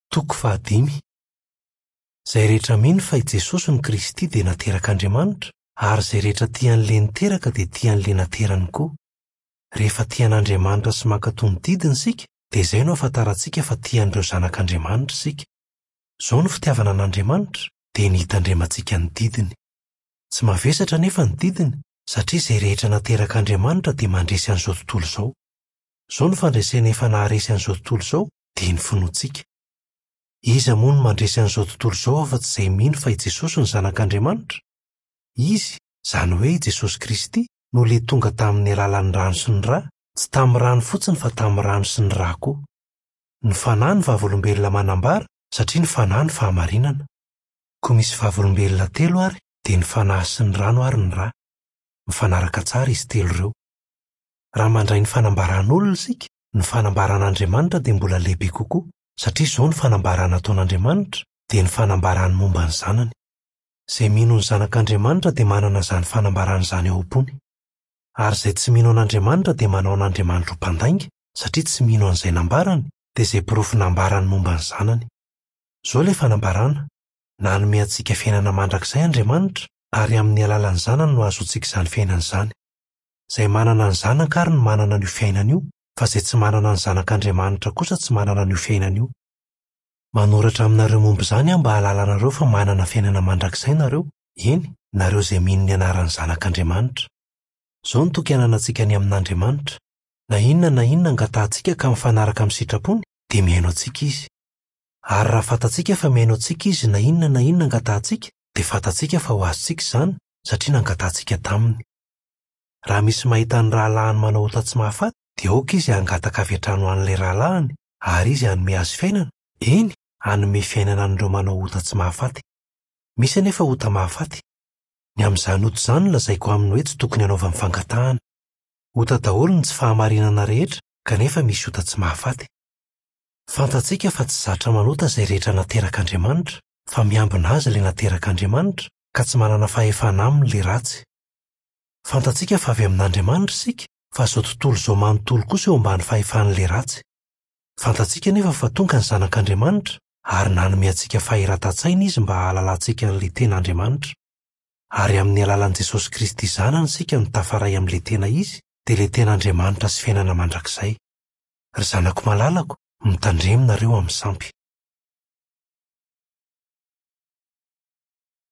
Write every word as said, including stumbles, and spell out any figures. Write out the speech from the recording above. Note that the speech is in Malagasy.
Toko fahadimy. Izay rehetra mino fa i Jesosy no Kristy dia naterak'Andriamanitra, ary izay rehetra tia an'ilay niteraka dia tia an'ilay naterany koa. Rehefa tia an'Andriamanitra sy mankatò ny didiny isika, dia izay no ahafantarantsika fa tia an'ireo zanak'Andriamanitra isika. Izao no fitiavana an'Andriamanitra, dia ny hitandremantsika ny didiny. Tsy mavesatra anefa ny didiny, satria izay rehetra naterak'Andriamanitra dia mandresy an'izao tontolo izao. Izao no fandresena efa naharesy an'izao tontolo izao, dia ny finoantsika. Iza moa no mandresy an'izao tontolo izao afa-tsy izay mino fa i Jesosy no Zanak'Andriamanitra? Izy, izany hoe i Jesosy Kristy, no ilay tonga tamin'ny alalan'ny rano sy ny ra, tsy tamin'ny rano fotsiny fa tamin'ny rano sy ny ra koa. Ny Fanahy no vavolombelona manambara, satria ny Fanahy no fahamarinana. Koa misy vavolombelona telo ary, dia ny Fanahy sy ny rano ary ny ra. Mifanaraka tsara izy telo ireo. Raha mandray ny fanambaran'olona isika, ny fanambaran'Andriamanitra dia mbola lehibe kokoa, satria izao ny fanambarana ataon'Andriamanitra, dia ny fanambarany momba ny Zanany. Izay mino ny Zanak'Andriamanitra dia manana izany fanambarana izany ao am-pony. Ary izay tsy mino an'Andriamanitra dia manao an'Andriamanitra ho mpandainga, satria tsy mino an'izay nambarany, dia izay porofo nambarany momba ny Zanany. Izao ilay fanambarana: nanome antsika fiainana mandrakizay Andriamanitra, ary amin'ny alalan'ny Zanany no ahazoantsika izany fiainana izany. Izay manana ny Zanaka ary no manana an'io fiainana io, fa izay tsy manana ny Zanak'Andriamanitra kosa tsy manana an'io fiainana io. Manoratra aminareo momba izany aho mba hahalalanareo fa manana fiainana mandrakizay nareo, eny, nareo izay mino ny anaran'ny Zanak'Andriamanitra. Izao no toky ananantsika ny amin'Andriamanitra: na inona na inona angatahantsika ka mifanaraka amin'ny sitrapony, dia mihaino antsika Izy. Ary raha fantatsika fa mihaino antsika Izy na inona na inona angatahantsika, dia fantatsika fa ho azontsika izany, satria nangatahantsika taminy. Raha misy mahita ny rahalahiny manao ota tsy mahafaty, dia aoka izy hangataka avy hatrany ho an'ilay rahalahiny, ary izy hanome azy fiainana, eny, hanome fiainana an'ireo manao ota tsy mahafaty. Misy anefa ota mahafaty. Ny amin'izany ota izany no lazaiko aminy hoe tsy tokony hanaovany fangatahana. Ota daholo ny tsy fahamarinana rehetra, kanefa misy ota tsy mahafaty. Fantatsika fa tsy zatra manota izay rehetra naterak'Andriamanitra, fa miambina azy ilay naterak'Andriamanitra, ka tsy manana fahefana aminy ilay ratsy. Fantatsika fa avy amin'Andriamanitra isika, fa izao tontolo izao manontolo kosa eo ambany fahefan'ilay ratsy. Fantatsika anefa fa tonga ny Zanak'Andriamanitra, ary nanome antsika fahiratan-tsaina Izy mba hahalalantsika an'ilay tena Andriamanitra. Ary amin'ny alalan'i Jesosy Kristy Zanany isika no tafaray amin'ilay tena Izy, dia ilay tena Andriamanitra sy fiainana mandrakizay. Ry zanako malalako, mitandremo nareo amin'ny sampy.